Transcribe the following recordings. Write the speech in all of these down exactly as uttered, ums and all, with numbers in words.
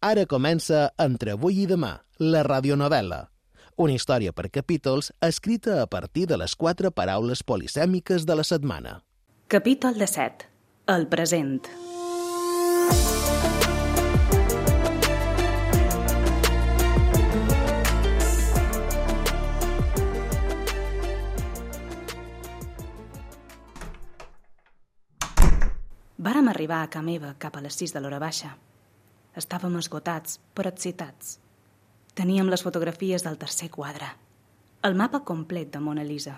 Ara comença Entre avui i demà, la radionovel·la. Una història per capítols escrita a partir de les quatre paraules polisèmiques de la setmana. Capítol disset. El present. Vàrem arribar a ca meva cap a les sis de l'hora baixa. Estàvem esgotats, però excitats. Teníem les fotografies del tercer quadre, el mapa complet de Mona Lisa.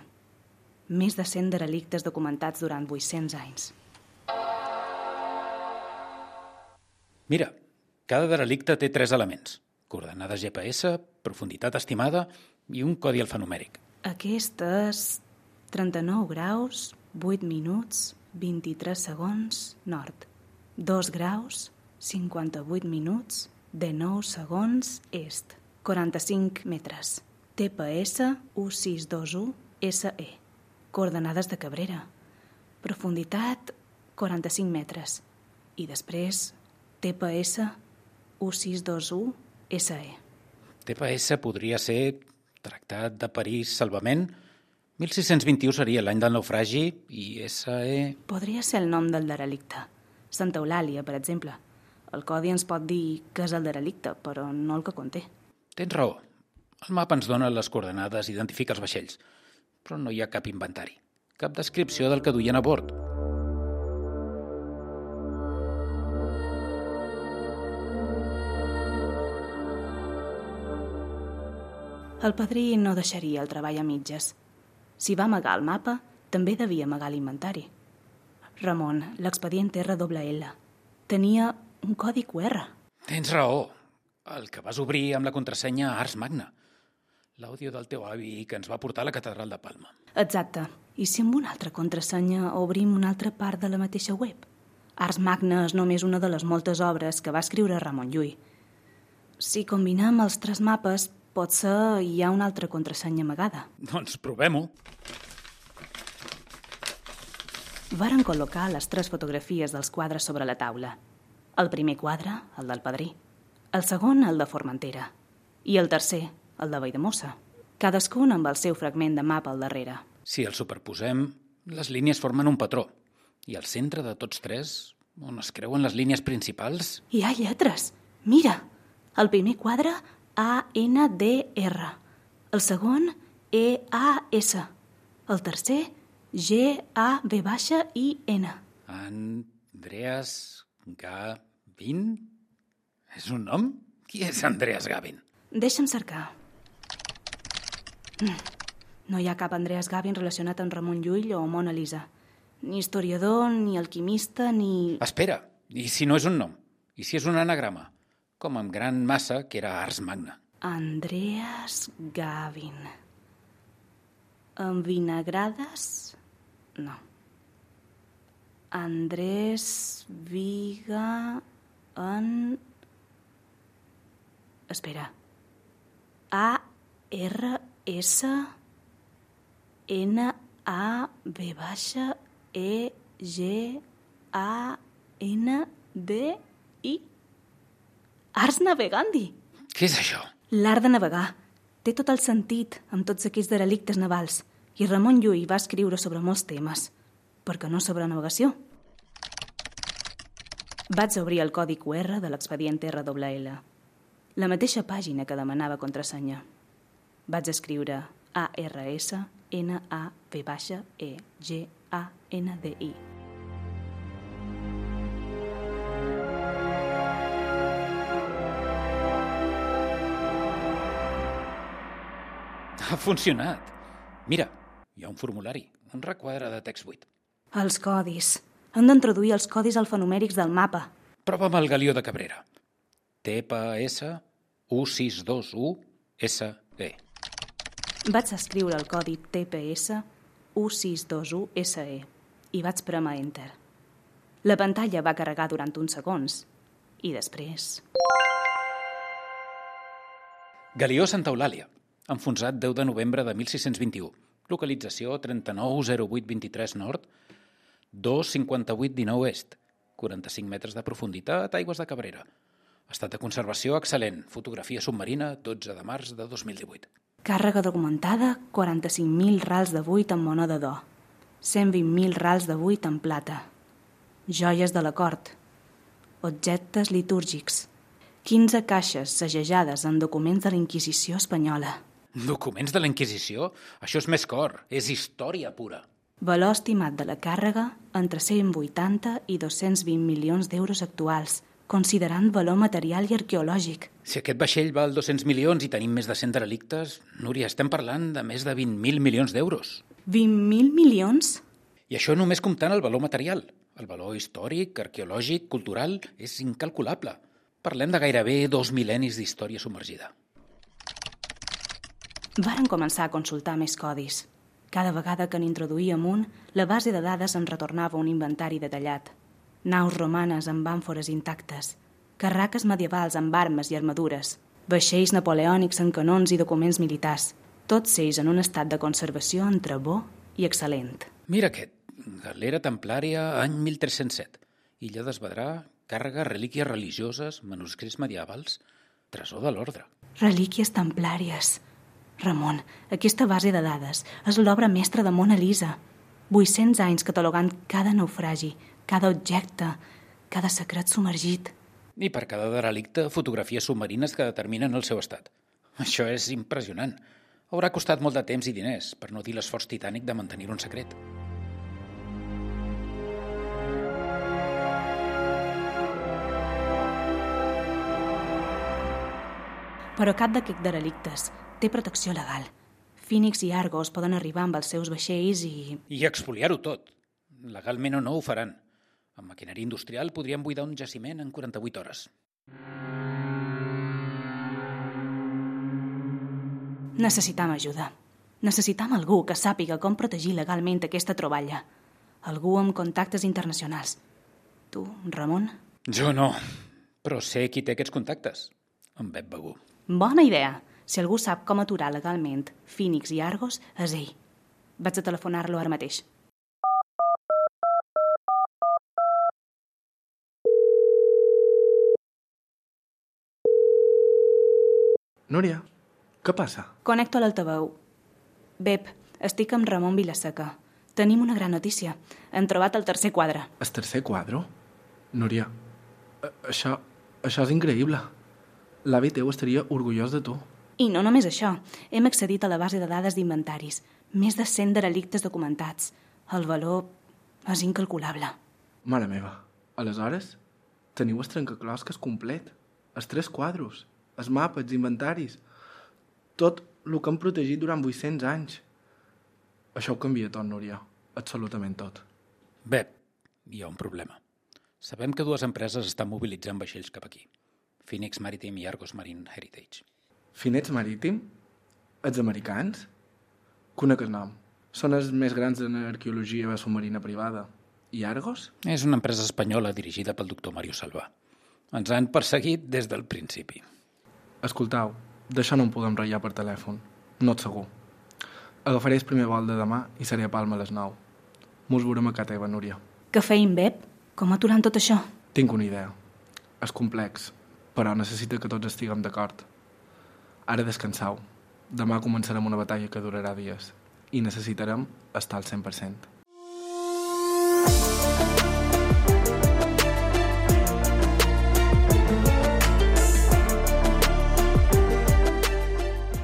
Més de cent derelictes documentats durant vuit-cents anys. Mira, cada derelicte té tres elements. Coordenades G P S, profunditat estimada i un codi alfanumèric. Aquest és trenta-nou graus, vuit minuts, vint-i-tres segons, nord. dos graus, cinquanta-vuit minuts, dinou segons, est. quaranta-cinc metres. T P S u sis dos u S E. Coordenades de Cabrera. Profunditat quaranta-cinc metres. I després T P S u sis dos u S E. T P S podria ser Tractat de París Salvament. mil sis-cents vint-i-u seria l'any del naufragi i S E... Podria ser el nom del derelicte. Santa Eulàlia, per exemple. El codi ens pot dir què és el derelicte, però no el que conté. Tens raó. El mapa ens dona les coordenades i identifica els vaixells, però no hi ha cap inventari, cap descripció del que duien a bord. El padrí no deixaria el treball a mitges. Si va amagar el mapa, també devia amagar l'inventari. Ramon, l'expedient R L L, tenia un codi Q R. Tens raó. El que vas obrir amb la contrasenya Ars Magna. L'àudio del teu avi que ens va portar a la catedral de Palma. Exacte. I si amb una altra contrasenya obrim una altra part de la mateixa web? Ars Magna és només una de les moltes obres que va escriure Ramon Llull. Si combinem els tres mapes, potser hi ha una altra contrasenya amagada. Doncs provem-ho. Varen col·locar les tres fotografies dels quadres sobre la taula. El primer quadre, el del padrí. El segon, el de Formentera. I el tercer, el de Valldemossa. Cadascun amb el seu fragment de mapa al darrere. Si els superposem, les línies formen un patró. I al centre de tots tres, on es creuen les línies principals... Hi ha lletres! Mira! El primer quadre, A N D R. El segon, E A S. El tercer, G A V I N. Andreas Gavin? És un nom? Qui és Andreas Gavin? Deixa'm cercar. No hi ha cap Andreas Gavin relacionat amb Ramon Llull o Mona Lisa. Ni historiador, ni alquimista, ni... Espera, i si no és un nom? I si és un anagrama? Com amb gran massa, que era Ars Magna. Andreas Gavin. Envinagrades? No. Andrés Viga en... Espera. A R S N A V E G A N D I. Ars Navegandi. Què és això? L'art de navegar. Té tot el sentit amb tots aquells derelictes navals. I Ramon Llull va escriure sobre molts temes, perquè no sobre navegació. Vaig obrir el codi Q R de l'expedient R L L. La mateixa pàgina que demanava contrasenya. Vaig escriure A R S N A V E G A N D I. Ha funcionat. Mira, hi ha un formulari, un requadre de text buit. Els codis. Han d'introduir els codis alfanumèrics del mapa. Prova amb el Galió de Cabrera. T P S u sis dos u S E. Vaig escriure el codi T P S u sis dos u S E i vaig prémer Enter. La pantalla va carregar durant uns segons i després... Galió Santa Eulàlia, enfonsat deu de novembre de mil sis-cents vint-i-u. Localització trenta-nou zero vuit vint-i-tres nord, dos cinquanta-vuit dinou est, quaranta-cinc metres de profunditat, aigües de Cabrera. Estat de conservació excel·lent. Fotografia submarina, dotze de març de dos mil divuit. Càrrega documentada, quaranta-cinc mil rals de buit en moneda d'or, cent vint mil rals de buit en plata, joies de la cort, objectes litúrgics, quinze caixes segellades en documents de la Inquisició espanyola. Documents de la Inquisició? Això és més cor, és història pura. Valor estimat de la càrrega entre cent vuitanta i dos-cents vint milions d'euros actuals, considerant valor material i arqueològic. Si aquest vaixell val dos-cents milions i tenim més de cent derelictes, Núria, estem parlant de més de vint mil milions d'euros. vint mil milions? I això només comptant el valor material. El valor històric, arqueològic, cultural, és incalculable. Parlem de gairebé dos mil·lennis d'història submergida. Varen començar a consultar més codis. Cada vegada que n'introduïem un, la base de dades ens retornava un inventari detallat. Naus romanes amb àmfores intactes, carraques medievals amb armes i armadures, vaixells napoleònics amb canons i documents militars, tots ells en un estat de conservació entre bo i excel·lent. Mira aquest, galera templària, any mil tres-cents set. Illa d'Esvedrà, càrrega, relíquies religioses, manuscrits medievals, tresor de l'ordre. Relíquies templàries. Ramon, aquesta base de dades és l'obra mestra de Mona Lisa. vuit-cents anys catalogant cada naufragi, cada objecte, cada secret submergit. I per cada derelicte, fotografies submarines que determinen el seu estat. Això és impressionant. Haurà costat molt de temps i diners, per no dir l'esforç titànic de mantenir un secret. Però cap d'aquests derelictes té protecció legal. Phoenix i Argos poden arribar amb els seus vaixells i... I expoliar-ho tot. Legalment o no ho faran. Amb maquinària industrial podríem buidar un jaciment en quaranta-vuit hores. Necessitam ajuda. Necessitam algú que sàpiga com protegir legalment aquesta troballa. Algú amb contactes internacionals. Tu, Ramon? Jo no, però sé qui té aquests contactes. En Pep Begú. Bona idea. Si algú sap com aturar legalment Phoenix i Argos, és ell. Vaig a telefonar-lo ara mateix. Núria, què passa? Connecto a l'altaveu. Bep, estic amb Ramon Vilaseca. Tenim una gran notícia. Hem trobat el tercer quadre. El tercer quadre? Núria, això, això és increïble. L'avi teu estaria orgullós de tu. I no només això. Hem accedit a la base de dades d'inventaris. Més de cent derelictes documentats. El valor és incalculable. Mare meva, aleshores teniu el trencaclosques complet. Els tres quadros, els mapes, els inventaris. Tot el que hem protegit durant vuit-cents anys. Això ho canvia tot, Núria. Absolutament tot. Bé, hi ha un problema. Sabem que dues empreses estan mobilitzant vaixells cap aquí. Phoenix Maritime i Argos Marine Heritage. Phoenix Maritime? Els americans? Conec el nom. Són els més grans en arqueologia submarina privada. I Argos? És una empresa espanyola dirigida pel doctor Mario Salvà. Ens han perseguit des del principi. Escoltau, d'això no en podem ratllar per telèfon. No et segur. Agafaré el primer vol de demà i seré a Palma a les nou. Mos veurem a casa teva, Núria. Què feim, Bep? Com aturant tot això? Tinc una idea. És complex, però necessita que tots estiguem d'acord. Ara descansau. Demà començarem una batalla que durarà dies i necessitarem estar al cent per cent.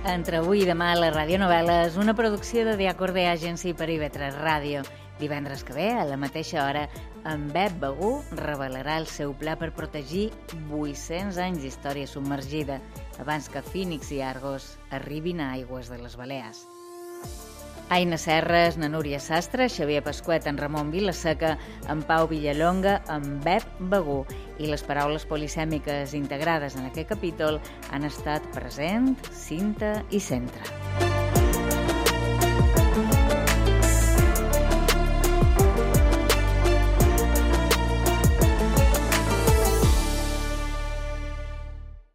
Entre avui i demà la radionovel·la és una producció de The Acorde Agency per I V tres Ràdio. Divendres que ve, a la mateixa hora, en Pep Begú revelarà el seu pla per protegir vuit-cents anys d'història submergida abans que Phoenix i Argos arribin a aigües de les Balears. Aina Serres, na Núria Sastre, Xavier Pasquet, en Ramon Vilaseca, en Pau Villalonga, en Pep Begú. I les paraules polisèmiques integrades en aquest capítol han estat present, cinta i centre.